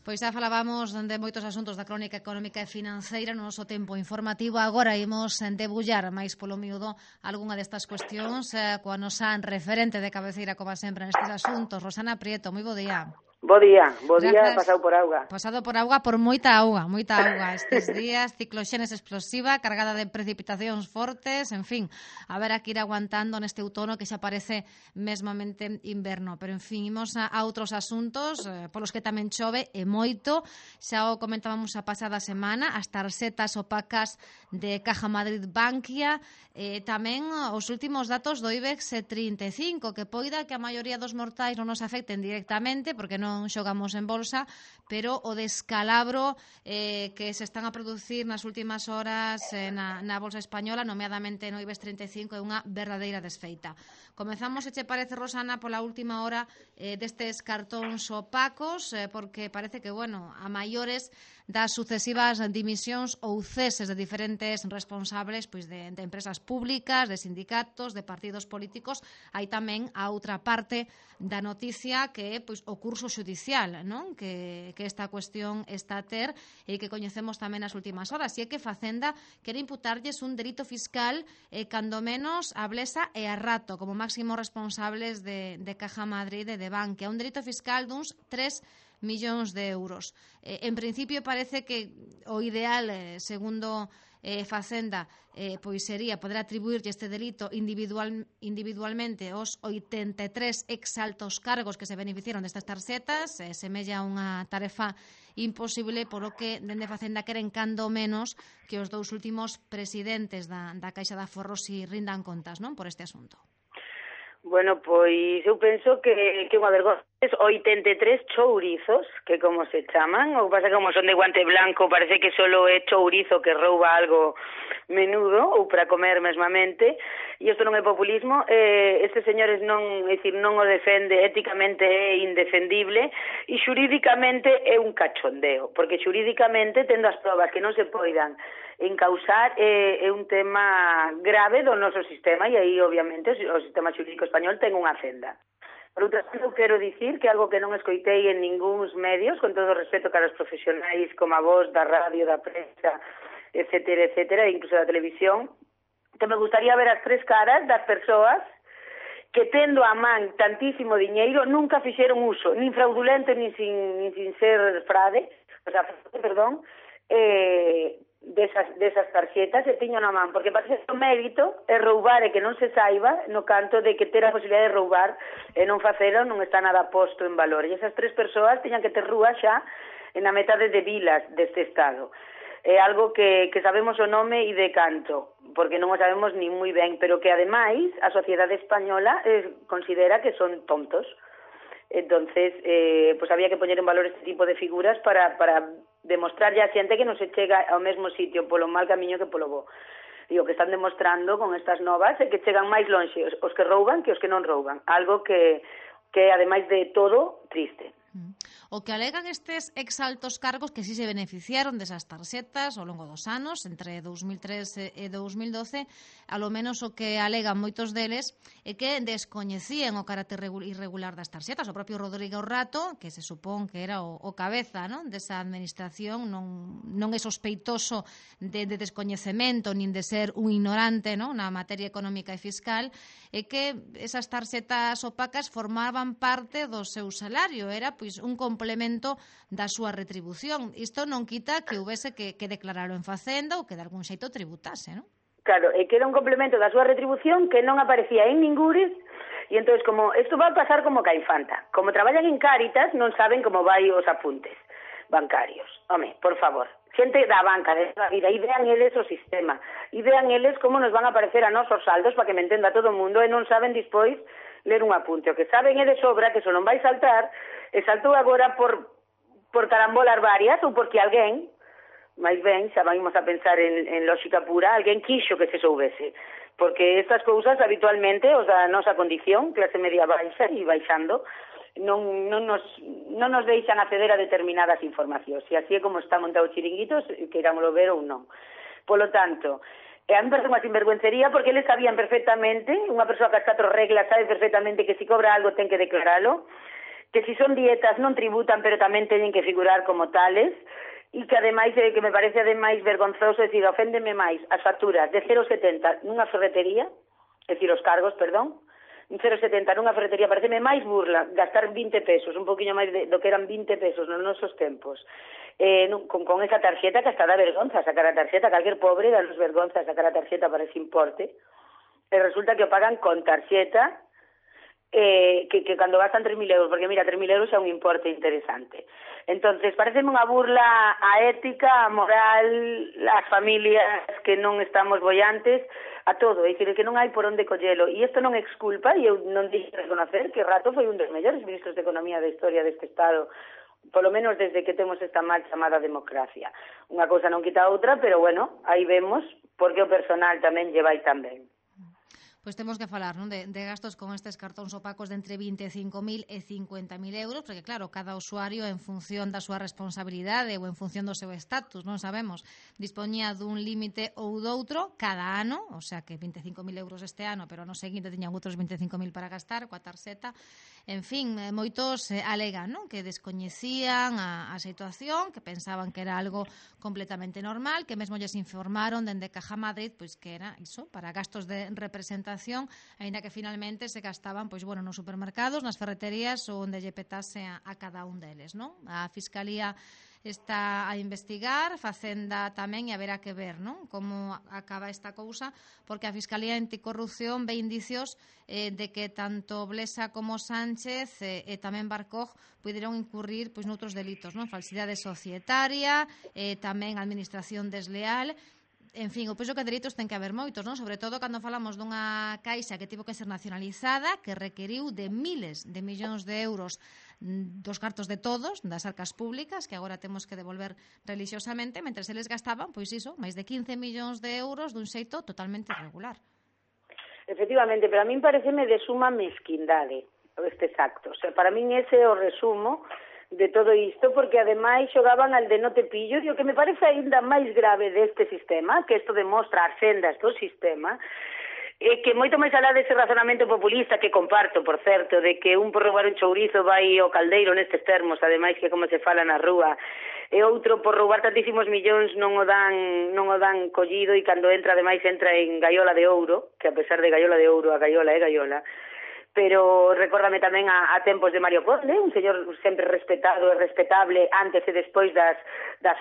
Pois xa falábamos de moitos asuntos da crónica económica e financeira no noso tempo informativo. Agora imos debullar máis polo miúdo algunha destas cuestións coa nosa referente de cabeceira, como sempre, nestes asuntos. Rosana Prieto, moi bo día. Bo día, pasado por auga. Pasado por auga, por moita auga. Estes días, cicloxénese explosiva, cargada de precipitacións fortes, en fin, a ver a que ir aguantando neste outono que xa parece mesmamente inverno. Pero, en fin, imos a outros asuntos, polos que tamén chove e moito. Xa o comentábamos a pasada semana, as tarxetas opacas de Caja Madrid Bankia, tamén os últimos datos do IBEX 35, que poida que a maioría dos mortais non nos afecten directamente, porque non xogamos en bolsa, pero o descalabro que se están a producir nas últimas horas na bolsa española, nomeadamente no IBEX 35, é unha verdadeira desfeita. Comezamos, se che parece, Rosana, pola última hora destes cartóns opacos, porque parece que, bueno, a maiores das sucesivas dimisións ou ceses de diferentes responsables pois de empresas públicas, de sindicatos, de partidos políticos. Hai tamén a outra parte da noticia que é pois o curso xudicial, non? Que esta cuestión está a ter e que coñecemos tamén nas últimas horas. E é que Facenda quere imputarlles un delito fiscal cando menos a Blesa e a Rato como máximos responsables de Caja Madrid e de Bankia. Un delito fiscal duns 3 millóns de euros. En principio parece que o ideal, segundo Facenda, pois sería poder atribuirlle este delito individualmente aos 83 exaltos cargos que se beneficiaron destas tarxetas. Semella unha tarefa imposible, polo que dende Facenda queren cando menos que os dous últimos presidentes da Caixa de Aforros si rindan contas, non, por este asunto. Bueno, pois eu penso que unha vergonza. 83 chourizos, que como se chaman, o que pasa que como son de guante blanco, parece que solo é chourizo que rouba algo menudo, ou para comer mesmamente, e isto non é populismo. Estes señores non o defende, éticamente é indefendible, e xurídicamente é un cachondeo, porque xurídicamente, tendo as probas que non se poidan encausar, é un tema grave do noso sistema, e aí, obviamente, o sistema xurídico español ten unha senda. Por outra parte, eu quero dicir que algo que non escoitei en ningúns medios, con todo o respeto cara aos profesionais como a vos, da radio, da prensa, etcétera, incluso da televisión, que me gustaría ver as tres caras das persoas que tendo a man tantísimo diñeiro nunca fixeron uso, nin fraudulento, nin sin ser frade, desas tarxetas e tiño na man, porque parece que o mérito é roubar e que non se saiba, no canto de que ter a posibilidade de roubar e non facelo non está nada posto en valor. E esas tres persoas tiñan que ter rúa xa na metade de vilas deste estado. É algo que sabemos o nome e de canto, porque non o sabemos ni moi ben, pero que ademais a sociedade española considera que son tontos. Entonces, pues había que poñer en valor este tipo de figuras para demostrarlle a xente que non se chega ao mesmo sitio polo mal camiño que polo bo. E o que están demostrando con estas novas é que chegan máis lonxe os que rouban que os que non rouban. Algo que ademais de todo, triste. O que alegan estes exaltos cargos que si se beneficiaron desas tarxetas ao longo dos anos, entre 2003 e 2012, alo menos o que alegan moitos deles é que descoñecían o carácter irregular das tarxetas. O propio Rodrigo Rato, que se supón que era o cabeza, non, desa administración, non é sospeitoso de descoñecemento nin de ser un ignorante, non, na materia económica e fiscal, é que esas tarxetas opacas formaban parte do seu salario, era pois un complemento da súa retribución. Isto non quita que houvese que declararlo en Facenda ou que de algún xeito tributase, non? Claro, é que era un complemento da súa retribución que non aparecía en ningures, e entón, como isto va a pasar como ca infanta. Como traballan en Cáritas, non saben como vai os apuntes bancarios. Home, por favor, xente da banca, de toda a vida, e vean eles o sistema, e vean eles como nos van a aparecer a nosos saldos para que me entenda todo o mundo, e non saben dispois ler un apunte. O que saben é de sobra que só non vai saltar, e saltou agora por carambolar varias, ou porque alguén, máis ben, xa vamos a pensar en lógica pura, alguén quixo que se soubese, porque estas cousas habitualmente, os da nosa condición, clase media baixa e baixando, non nos deixan acceder a determinadas informacións, e así é como está montado o chiringuitos, queirámoslo ver ou non. Polo tanto, a mí parece unha sinvergüencería, porque eles sabían perfectamente, unha persoa que as 4 reglas sabe perfectamente que se cobra algo ten que declaralo, que si son dietas non tributan, pero tamén teñen que figurar como tales, e que ademais, que me parece ademais vergonzoso, é dicir, oféndeme máis as facturas de 0,70 nunha ferretería, é dicir, os cargos, perdón, 0,70 nunha ferretería, pareceme máis burla gastar 20 pesos, un poquinho máis do que eran 20 pesos nos nosos tempos, con esa tarxeta que hasta dá vergonza sacar a tarxeta, calquer pobre dá nos vergonza sacar a tarxeta para ese importe, e resulta que o pagan con tarxeta, que cando gastan 3.000 euros, porque mira, 3.000 euros é un importe interesante. Entonces, pareceme unha burla a ética, a moral, as familias que non estamos bollantes, a todo, é dicir, que non hai por onde collelo. E isto non exculpa, e eu non dixo reconocer que Rato foi un dos mellores ministros de Economía da historia deste Estado, polo menos desde que temos esta mal chamada democracia. Unha cousa non quita a outra, pero bueno, aí vemos porque o personal tamén lle vai tan ben. Pois temos que falar, non, de gastos con estes cartóns opacos de entre 25.000 e 50.000 euros, porque claro, cada usuario en función da súa responsabilidade ou en función do seu estatus, non sabemos, dispoñía dun límite ou doutro cada ano, o sea que 25.000 euros este ano, pero ano seguinte tiñan outros 25.000 para gastar coa tarxeta. En fin, moitos alegan, non, que descoñecían a situación, que pensaban que era algo completamente normal, que mesmo lles informaron dende Caja Madrid, pois que era iso, para gastos de representación, aínda que finalmente se gastaban, pois bueno, nos supermercados, nas ferreterías ou onde lle petase a cada un deles, non? A Fiscalía está a investigar, Facenda tamén, e haberá que ver, non, como acaba esta cousa, porque a Fiscalía Anticorrupción ve indicios de que tanto Blesa como Sánchez e tamén Barcoj puderon incurrir pois noutros delitos, non, falsidade societaria, tamén administración desleal. En fin, o penso que delitos ten que haber moitos, non? Sobre todo cando falamos dunha caixa que tivo que ser nacionalizada, que requeriu de miles de millóns de euros dos cartos de todos, das arcas públicas, que agora temos que devolver religiosamente, mentre eles gastaban, pois iso, máis de 15 millóns de euros dun xeito totalmente irregular. Efectivamente, pero a min pareceme de suma mesquindade estes actos. O sea, para min ese é o resumo de todo isto, porque ademais xogaban al de no te pillo, e o que me parece aínda máis grave deste sistema, que isto demostra as sendas do sistema, que moito máis alá dese razonamento populista que comparto, por certo, de que un por roubar un chourizo vai ao caldeiro nestes termos, ademais que como se fala na rúa, e outro por roubar tantísimos millóns non o dan collido, e cando entra, ademais, entra en gaiola de ouro, que a pesar de gaiola de ouro, a gaiola é gaiola. Pero recórdame tamén a tempos de Mario Conde, un señor sempre respetado e respetable antes e despois das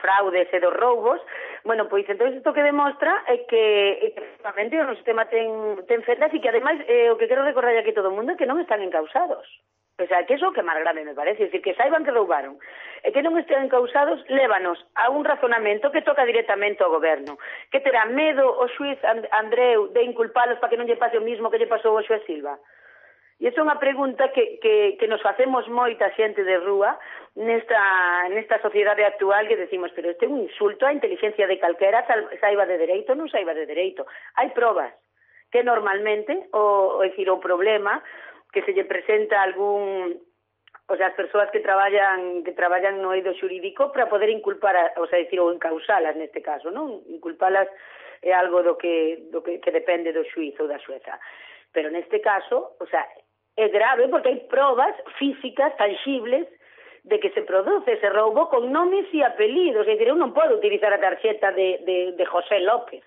fraudes e dos roubos. Bueno, pois entón isto que demostra é que efectivamente o sistema ten fendas, e que ademais o que quero recordar aquí todo o mundo é que non están encausados. O sea, que iso que máis grave me parece, é dicir, que saiban que roubaron e que non estén encausados, lévanos a un razonamento que toca directamente ao goberno, que terá medo o xuiz Andreu de inculpalos para que non lle pase o mismo que lle pasou ao xuiz Silva. E esa é unha pregunta que nos facemos moita xente de rúa nesta sociedade actual, que decimos, pero este é un insulto á inteligencia de calquera, saiba de dereito ou non saiba de dereito. Hai probas que normalmente, o problema que se lle presenta a algún, o sea, as persoas que traballan no eido xurídico para poder inculpar, o sea, decir, ou encausalas neste caso, non? Inculpalas é algo do que depende do xuíz ou da xueza. Pero neste caso, o sea, é grave porque hai probas físicas, tangibles, de que se produce ese roubo con nomes e apelidos. É dicir, eu non podo utilizar a tarxeta de José López.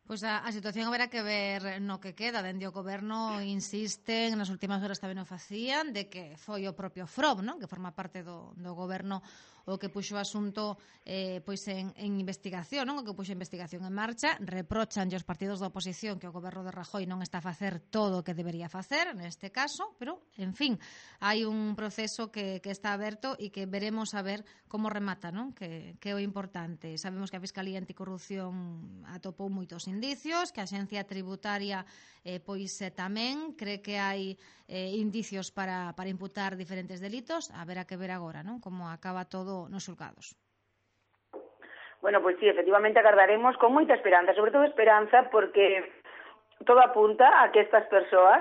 Pois a situación haberá que ver no que queda. Dende o goberno insisten, nas últimas horas tamén o facían, de que foi o propio FROB, non? Que forma parte do goberno o que puxo o asunto pois en investigación, non? O que puxo a investigación en marcha. Reprochan os partidos da oposición que o goberno de Rajoy non está a facer todo o que debería facer neste caso, pero, en fin, hai un proceso que está aberto e que veremos a ver como remata, non? Que é o importante. Sabemos que a Fiscalía Anticorrupción atopou moitos indicios, que a Axencia Tributaria pois tamén cree que hai indicios para imputar diferentes delitos. Haberá que ver agora, non? Como acaba todo nos xulgados. Bueno, pois sí, efectivamente agardaremos con moita esperanza, sobre todo esperanza porque todo apunta a que estas persoas,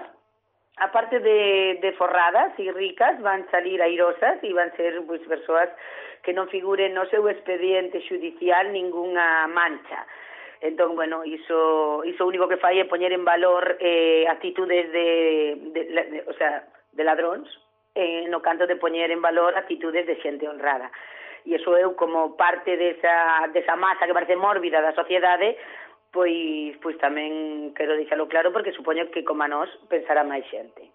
aparte de forradas e ricas, van salir airosas e van ser pois persoas que non figuren no seu expediente judicial ningunha mancha. Entón, bueno, iso único que fai é poñer en valor actitudes o sea, de ladróns, no canto de poñer en valor actitudes de xente honrada. E iso eu, como parte desa masa que parece mórbida da sociedade, pois tamén quero deixalo claro, porque supoño que como a nós pensará máis xente.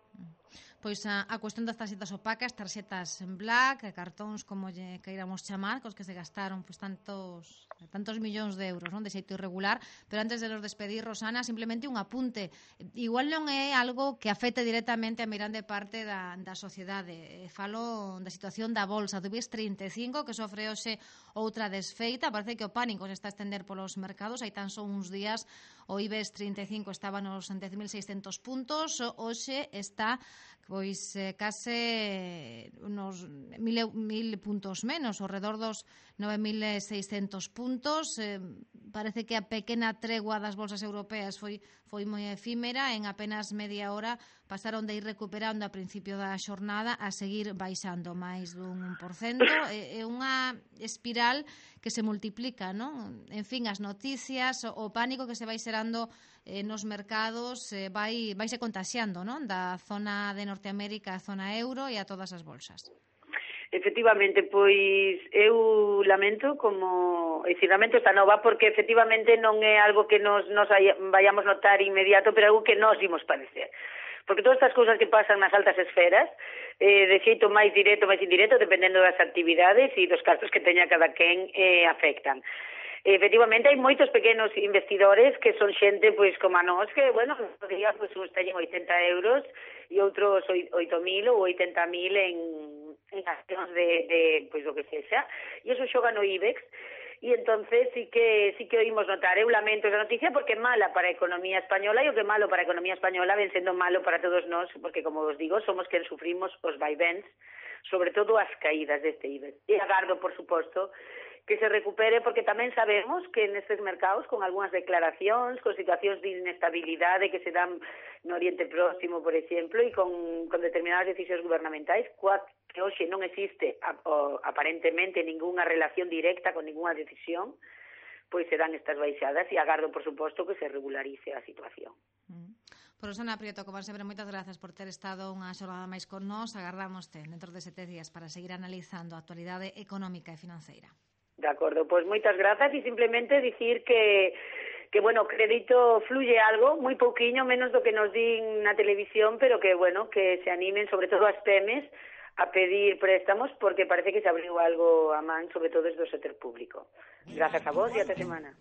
Pois a cuestión das tarxetas opacas, tarxetas en black, cartóns, como lle queiramos chamar, cos que se gastaron pois tantos millóns de euros, non, de xeito irregular. Pero antes de nos despedir, Rosana, simplemente un apunte. Igual non é algo que afecte directamente a mirande parte da sociedade. Falo da situación da bolsa do IBEX 35, que sofre hoxe outra desfeita. Parece que o pánico se está a estender polos mercados. Hai tan só uns días o IBEX 35 estaba nos 10.600 puntos, hoxe está pois case unos 1.000 puntos menos, ao redor dos 9.600 puntos. Parece que a pequena tregua das bolsas europeas foi moi efímera. En apenas media hora pasaron de ir recuperando a principio da xornada a seguir baixando máis dun 1%. É unha espiral que se multiplica, non? En fin, as noticias, o pánico que se vai xerando nos mercados vaise contaxiando, non? Da zona de Norteamérica a zona euro e a todas as bolsas. Efectivamente, pois eu lamento esta nova, porque efectivamente non é algo que nos vayamos notar inmediato, pero algo que nos imos padecer. Porque todas estas cousas que pasan nas altas esferas, de xeito máis directo, máis indirecto, dependendo das actividades e dos cartos que teña cada quen, afectan. Efectivamente, hai moitos pequenos investidores que son xente, pois, como a nós, que, bueno, nos días, pois, uns teñen 80 euros e outros 8.000 ou 80.000 en accións de pois, o que sexa, e iso xoga no IBEX, e entonces sí que oímos notar. Eu lamento esa noticia porque é mala para a economía española, e o que é malo para a economía española ven sendo malo para todos nós, porque, como os digo, somos quen sufrimos os vaivens, sobre todo as caídas deste IBEX. E agardo, por suposto, que se recupere, porque tamén sabemos que nestes mercados, con algunhas declaracións, con situacións de inestabilidade que se dan no Oriente Próximo, por exemplo, e con determinadas decisións gubernamentais, que hoxe non existe aparentemente ningunha relación directa con ningunha decisión, pois se dan estas baixadas, e agardo, por suposto, que se regularice a situación. Rosana Prieto, como sempre, moitas grazas por ter estado unha xornada máis con nós. Agardámoste dentro de 7 días para seguir analizando a actualidade económica e financeira. De acordo, pois moitas grazas, e simplemente dicir que bueno, crédito fluye algo, moi pouquiño, menos do que nos din na televisión, pero que, bueno, que se animen, sobre todo as PEMES, a pedir préstamos, porque parece que se abriu algo a man, sobre todo desde o sector público. Grazas a vos e ata semana.